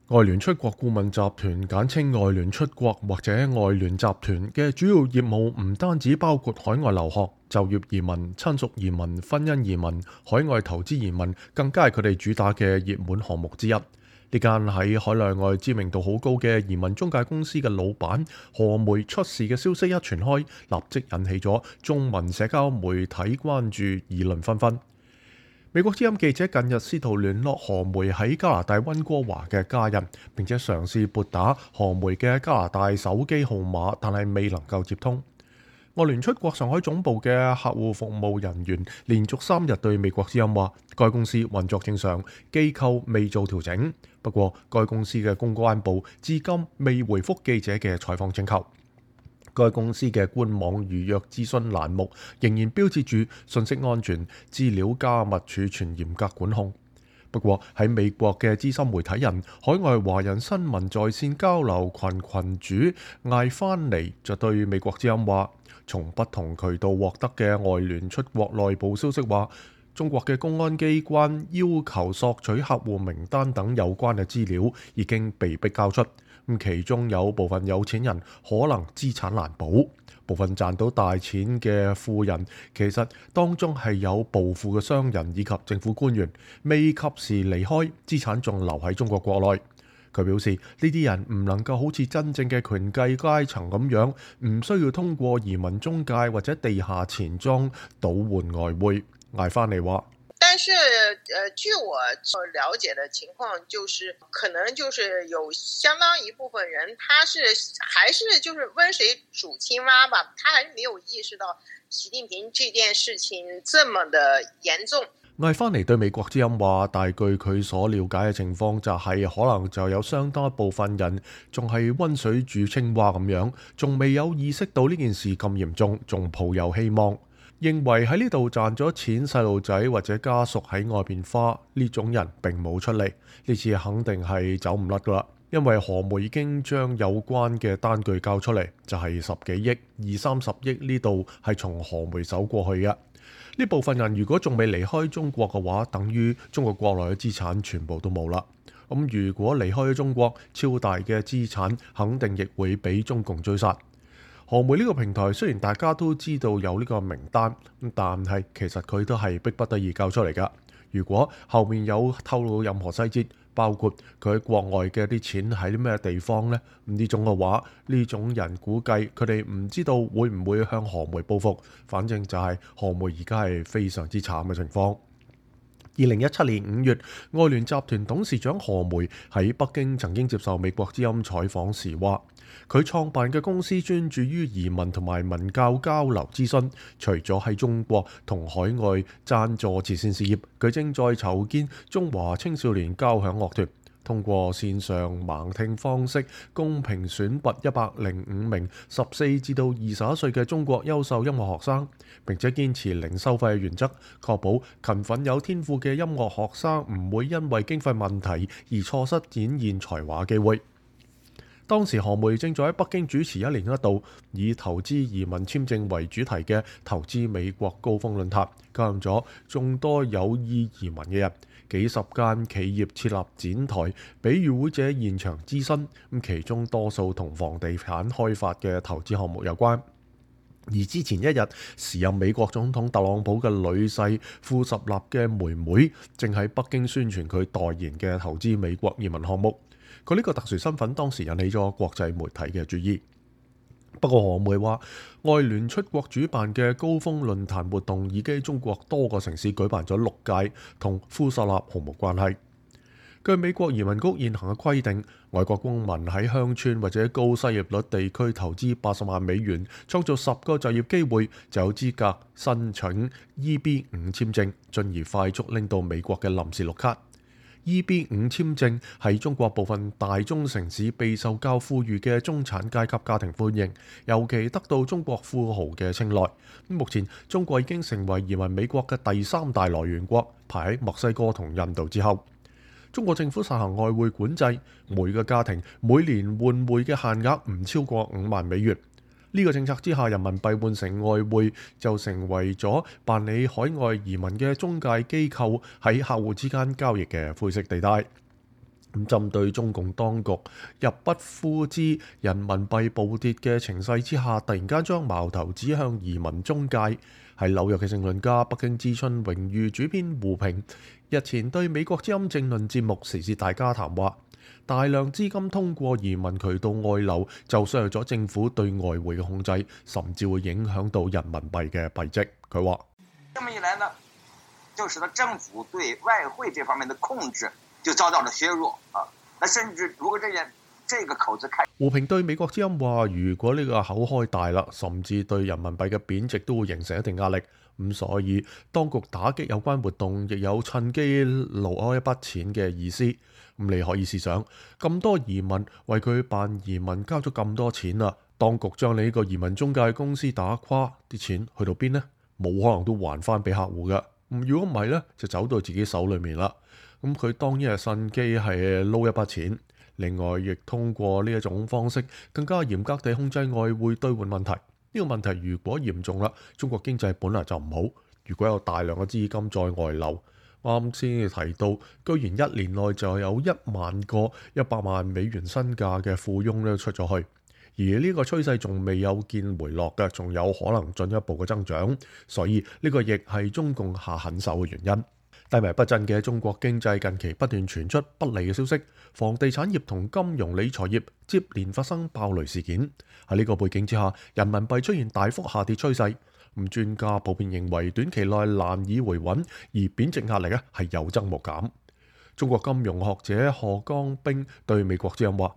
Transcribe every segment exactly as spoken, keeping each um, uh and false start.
外聯出國顧問集團簡稱外聯出國或者外聯集團嘅主要業務唔單止包括海外留學、就業移民、親屬移民、婚姻移民、海外投資移民，更加係佢哋主打嘅熱門項目之一。呢間喺海內外知名度好高嘅移民中介公司嘅老闆何梅出事嘅消息一傳開，立即引起咗中文社交媒體關注，議論紛紛。美國之音記者近日試圖聯絡何梅喺加拿大溫哥華嘅家人，並且嘗試撥打何梅嘅加拿大手機號碼，但係未能夠接通。外聯出國上海總部嘅客戶服務人員連續三日對美國之音話，該公司運作正常，機構未做調整。不過，該公司嘅公關部至今未回覆記者嘅採訪請求。該公司嘅官網預約諮詢欄目仍然標誌住信息安全、資料加密儲存嚴格管控。不過喺美國嘅資深媒體人、海外華人新聞在線交流群群主艾番尼就對美國之音話，從不同渠道獲得嘅外聯出國內部消息話，中國嘅公安機關要求索取客戶名單等有關嘅資料已經被迫交出。咁其中有部分有錢人可能資產難保，部分賺到大錢嘅富人其實當中係有暴富嘅商人以及政府官員，未及時離開，資產仲留喺中國國內。佢表示呢啲人唔能夠好似真正嘅權貴階層咁樣，唔需要通過移民中介或者地下錢莊倒換外匯。艾番尼話。但是，呃，據我了解的情況，就是可能就是有相當一部分人，他是還是就是溫水煮青蛙吧，他還是沒有意識到習近平這件事情這麼的嚴重。艾番尼對美國之音話，但據佢所了解嘅情況就係、是，可能就有相當一部分人仲係溫水煮青蛙咁樣，仲未有意識到呢件事咁嚴重，仲抱有希望。認為喺呢度賺咗錢，細路仔或者家屬喺外邊花，呢種人並冇出嚟，呢次肯定係走唔甩噶啦。因為何梅已經將有關嘅單據交出嚟，就係、是、十幾億、二三十億呢度係從何梅手過去嘅。呢部分人如果仲未離開中國嘅話，等於中國國內嘅資產全部都冇啦。咁如果離開咗中國，超大嘅資產肯定亦會俾中共追殺。何梅呢個平台雖然大家都知道有呢個名單，但係其實佢都係逼不得已交出嚟㗎。如果後面有透露任何細節，包括佢喺國外嘅啲錢喺啲咩地方呢？呢種嘅話，呢種人估計佢哋唔知道會唔會向何梅報復。反正就係何梅而家係非常之慘嘅情況。二零一七年五月，外聯集團董事長何梅喺北京曾經接受美國之音採訪時話，佢創辦嘅公司專注於移民同埋文教交流諮詢，除咗喺中國同海外贊助慈善事業，佢正在籌建中華青少年交響樂團，通過線上盲聽方式公平選拔一百零五名十四至到二十一歲嘅中國優秀音樂學生，並且堅持零收費嘅原則，確保勤奮有天賦嘅音樂學生唔會因為經費問題而錯失展現才華機會。當時何梅正在喺北京主持一年一度以投資移民簽證為主題嘅投資美國高峰論壇，吸引咗眾多有意移民嘅人，幾十間企業設立展台，俾與會者現場諮詢，咁其中多數同房地產開發嘅投資項目有關。而之前一日，時任美國總統特朗普嘅女婿富十納嘅妹妹，正喺北京宣傳佢代言嘅投資美國移民項目。佢呢個特殊身份當時引起咗國際媒體嘅注意。不過何梅話，外聯出國主辦嘅高峰論壇活動已經喺中國多個城市舉辦咗六屆，同富十納毫無關係。據美國移民局現行嘅規定，外國公民喺鄉村或者高失業率地區投資八十萬美元，創造十個就業機會，就有資格申請 E B 五簽證，進而快速拎到美國嘅臨時綠卡。E B 五簽證喺中國部分大中城市備受較富裕嘅中產階級家庭歡迎，尤其得到中國富豪嘅青睞。目前中國已經成為移民美國嘅第三大來源國，排喺墨西哥同印度之後。中國政府實行外匯管制，每個家庭每年換匯嘅限額唔超過五萬美元。呢個政策之下，人民幣換成外匯就成為咗辦理海外移民嘅中介機構喺客戶之間交易嘅灰色地帶。咁針對中共當局入不敷支、人民幣暴跌嘅情勢之下，突然間將矛頭指向移民中介。喺紐約嘅政論家、北京之春榮譽主編胡平日前對美國之音政論節目《時事大家談》話，大量資金通過移民渠道外流，就削弱咗政府對外匯嘅控制，甚至會影響到人民幣嘅幣值。佢話：這麼一來呢，就使得政府對外匯這方面的控制就遭到了削弱啊！那甚至如果這件這個口子開，胡平對美國之音話：如果呢個口開大啦，甚至對人民幣嘅貶值都會形成一定壓力。咁所以當局打擊有關活動，亦有趁機撈開一筆錢嘅意思。咁你可以試想，咁多移民為佢辦移民交咗咁多錢啦，當局將你呢個移民中介公司打垮，啲錢去到邊呢？冇可能都還翻俾客戶㗎。咁如果唔係呢，就走到自己手裏面啦。咁佢當然係趁機係撈一筆錢。另外，亦通過呢一種方式，更加嚴格地控制外匯兌換問題。呢個問題如果嚴重啦，中國經濟本來就唔好。如果有大量嘅資金在外流，啱先提到，居然一年內就有一萬個一百萬美元身價嘅富翁咧出咗去，而呢個趨勢仲未有見回落嘅，仲有可能進一步嘅增長。所以呢個亦係中共下狠手嘅原因。低迷不振嘅中國經濟近期不斷傳出不利嘅消息，房地產業同金融理財業接連發生爆雷事件。喺呢個背景之下，人民幣出現大幅下跌趨勢。咁專家普遍認為短期內難以回穩，而貶值壓力咧係有增無減。中國金融學者賀江兵對美國之音話：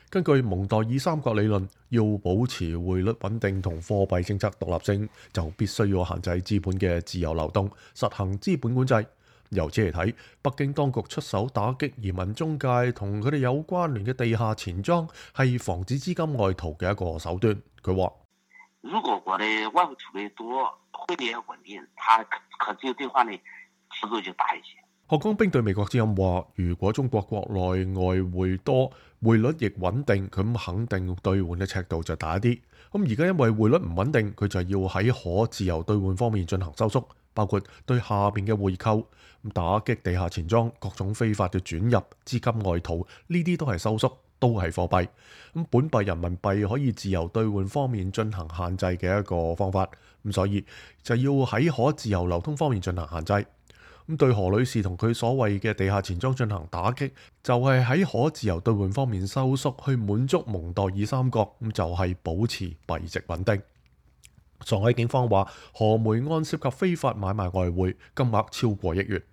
根據蒙代爾三角理論，要保持匯率穩定同貨幣政策獨立性，就必須要限制資本嘅自由流動，實行資本管制。由此嚟睇，北京當局出手打擊移民中介同佢哋有關聯嘅地下錢莊，係防止資金外逃嘅一個手段。佢話：如果我的外匯儲備多，匯率也穩定，它可自由兌換的幅度就大一些。賀江兵對美國之音話：如果中國國內外匯多，匯率亦穩定，咁肯定兌換嘅尺度就大一啲。咁而家因為匯率唔穩定，佢就要喺可自由兌換方面進行收縮，包括對下邊嘅匯購、打擊地下錢莊、各種非法嘅轉入、資金外逃，呢啲都係收縮，都係貨幣。咁本幣人民幣可以自由兌換方面進行限制嘅一個方法。咁所以就要喺可自由流通方面進行限制。咁對何女士同佢所謂嘅地下錢莊進行打擊，就係喺可自由兌換方面收縮，去滿足蒙代爾三角，咁就係保持幣值穩定。上海警方話，何梅案涉及非法買賣外匯，金額超過億元。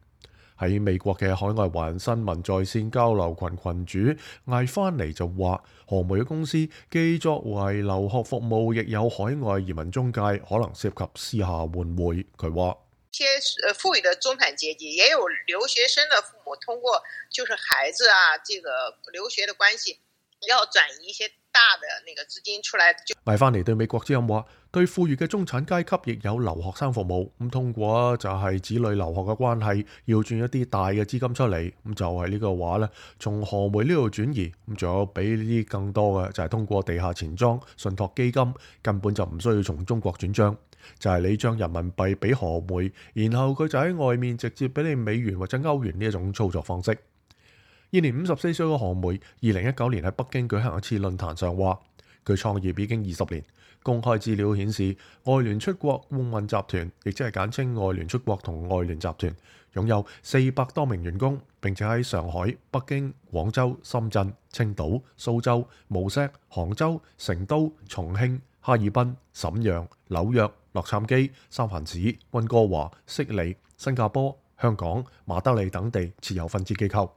喺美國嘅海外華人新聞在線交流群群主艾翻尼就話，何梅嘅公司既作為留學服務，亦有海外移民中介，可能涉及私下換匯。佢話：一些呃富裕的中產階級，也有留學生的父母通過就是孩子啊，這個留學的關係，要轉移一些大的那個資金出來。艾翻尼對美國之音話，對富裕嘅中產階級亦有留學生服務，咁通過就係子女留學嘅關係，要轉一啲大嘅資金出嚟，咁就係呢個話咧，從何梅呢度轉移，咁仲有比呢啲更多嘅就係通過地下錢莊、信託基金，根本就唔需要從中國轉帳。就係你將人民幣俾何梅，然後佢就喺外面直接俾你美元或者歐元呢一種操作方式。現年五十四歲嘅何梅，二零一九年喺北京舉行一次論壇上話，佢創業已經二十年。公開資料顯示，外聯出國顧問集團，亦即係簡稱外聯出國同外聯集團，擁有四百多名員工，並且喺上海、北京、廣州、深圳、青島、蘇州、無錫、杭州、成都、重慶、哈爾濱、瀋陽、紐約、洛杉磯、三藩市、溫哥華、悉尼、新加坡、香港、馬德里等地設有分支機構。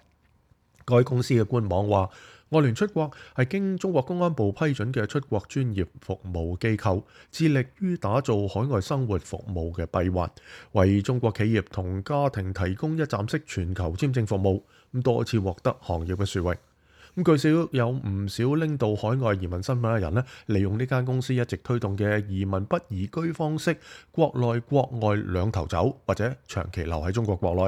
該公司嘅官網話，外聯出國係經中國公安部批准嘅出國專業服務機構，致力於打造海外生活服務嘅閉環，為中國企業同家庭提供一站式全球簽證服務，咁多次獲得行業嘅殊榮。咁據悉有唔少拎到海外移民身份嘅人咧，利用呢間公司一直推動嘅移民不移居方式，國內國外兩頭走，或者長期留喺中國國內。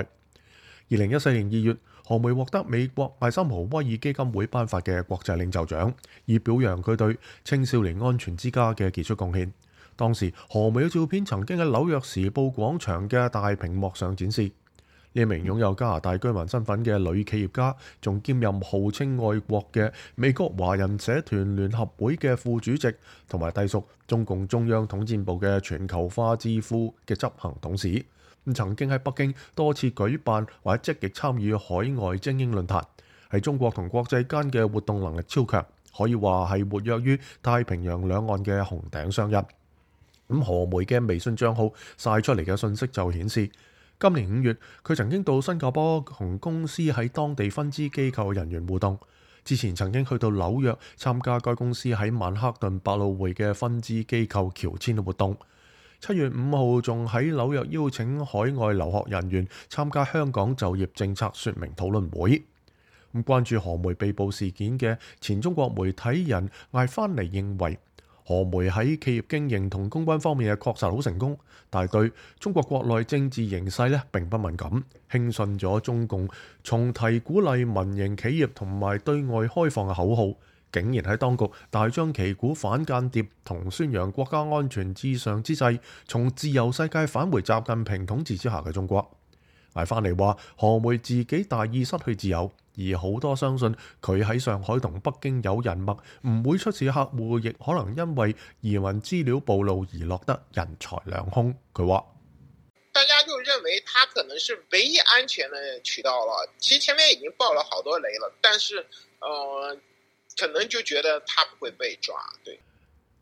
二零一四年二月，何梅獲得美國艾森豪威爾基金會頒發嘅國際領袖獎，以表揚佢對青少年安全之家嘅傑出貢獻。當時何梅嘅照片曾經喺紐約時報廣場嘅大屏幕上展示。呢名擁有加拿大居民身份嘅女企業家，仲兼任號稱愛國嘅美國華人社團聯合會嘅副主席，同埋隸屬中共中央統戰部嘅全球化智庫嘅執行董事。咁曾經喺北京多次舉辦或者積極參與海外精英論壇，喺中國同國際間嘅活動能力超強，可以話係活躍於太平洋兩岸嘅紅頂商人。咁何梅嘅微信賬號曬出嚟嘅信息就顯示，今年五月，佢曾經到新加坡同公司喺當地分支機構人員互動。之前曾經去到紐約參加該公司喺曼克頓百老匯嘅分支機構喬遷嘅活動。七月五號仲喺紐約邀請海外留學人員參加香港就業政策說明討論會。咁關注何梅被捕事件嘅前中國媒體人艾翻尼認為，何梅喺企業經營同公關方面嘅確實好成功，但係對中國國內政治形勢咧並不敏感，輕信咗中共重提鼓勵民營企業同埋對外開放嘅口號，竟然喺當局大張旗鼓反間諜同宣揚國家安全至上之際，從自由世界返回習近平統治之下嘅中國。艾翻尼話，何梅自己大意失去自由，而好多相信佢喺上海同北京有人脈，唔會出事嘅客戶，亦可能因為移民資料暴露而落得人財兩空。佢話：大家就認為他可能是唯一安全的渠道了，其實前面已經爆了好多雷了，但是，呃，可能就覺得他不會被抓。對。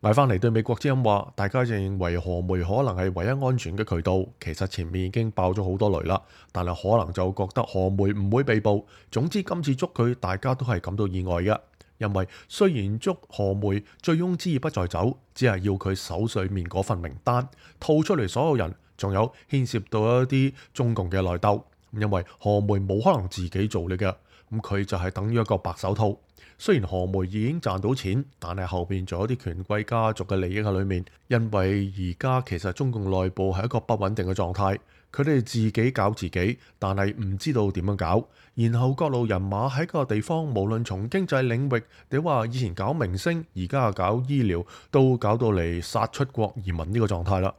艾翻尼對美國之音話，大家就認為何梅可能係唯一安全嘅渠道，其實前面已經爆咗好多雷啦，但係可能就覺得何梅唔會被捕。總之今次捉佢，大家都係感到意外嘅，因為雖然捉何梅醉翁之意不在酒，只係要佢手上面嗰份名單吐出嚟，所有人仲有牽涉到一啲中共嘅內鬥，因為何梅冇可能自己做嚟嘅，咁佢就係等於一個白手套。雖然何梅已經賺到錢，但係後邊仲有啲權貴家族嘅利益喺裏面。因為而家其實中共內部係一個不穩定嘅狀態，佢哋自己搞自己，但係唔知道點樣搞。然後各路人馬喺個地方，無論從經濟領域，你話以前搞明星，而家搞醫療，都搞到嚟殺出國移民呢個狀態啦。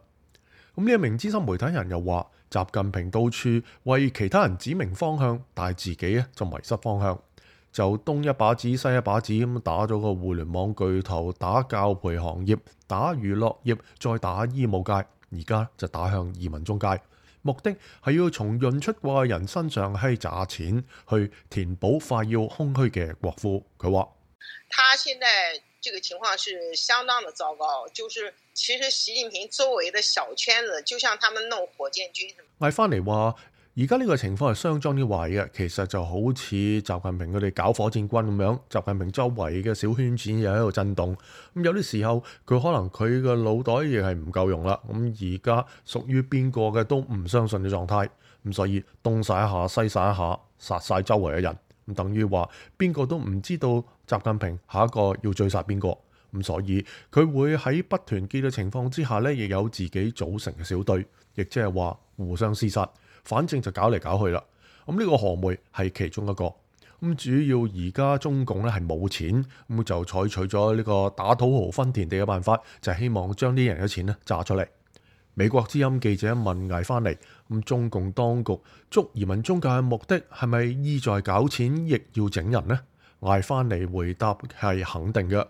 咁呢一名資深媒體人又話，習近平到處為其他人指明方向，但係自己咧就迷失方向。就東一把子西一把子咁打咗個互聯網巨頭，打教培行業，打娛樂業，再打醫務界，而家就打向移民中介，目的係要從潤出國嘅人身上係詐錢，去填補快要空虛嘅國庫。佢話：他現在這個情況是相當的糟糕，就是其實習近平周圍的小圈子，就像他們弄火箭軍。艾翻尼話：而家呢個情況係相當之壞嘅，其實就好似習近平佢哋搞火箭軍咁樣，習近平周圍嘅小圈子又喺度震動。咁有啲時候佢可能佢嘅腦袋亦係唔夠用啦。咁而家屬於邊個嘅都唔相信嘅狀態。咁所以東晒一下西晒一下，殺晒周圍嘅人。咁等於話邊個都唔知道習近平下一個要追殺邊個。咁所以佢會喺不團結嘅情況之下呢，亦有自己組成嘅小隊，亦即係話互相廝殺。反正就搞嚟搞去啦，咁呢個何梅係其中一個。咁主要而家中共咧係冇錢，咁就採取咗呢個打土豪分田地嘅辦法，就係希望將啲人嘅錢咧榨出嚟。美國之音記者問艾翻尼：咁中共當局捉移民中介嘅目的係咪意在搞錢，亦要整人呢？艾翻尼回答係肯定嘅，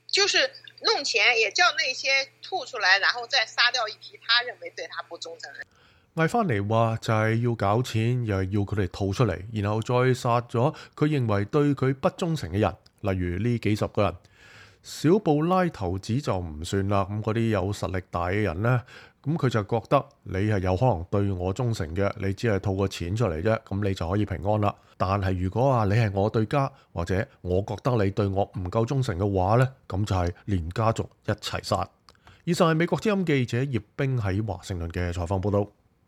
就是弄錢，也叫那些吐出來，然後再殺掉一批他認為對他不忠誠嘅人。艾翻尼話就係要搞錢，又係要佢哋吐出嚟，然後再殺咗佢認為對佢不忠誠嘅人，例如呢幾十個人。小布拉頭子就唔算啦，咁嗰啲有實力大嘅人呢，咁佢就覺得你係有可能對我忠誠嘅，你只係吐個錢出嚟啫，咁你就可以平安啦。但係如果話你係我對家，或者我覺得你對我唔夠忠誠嘅話呢，咁就係連家族一齊殺。以上係美國之音記者葉冰喺華盛頓嘅採訪報道。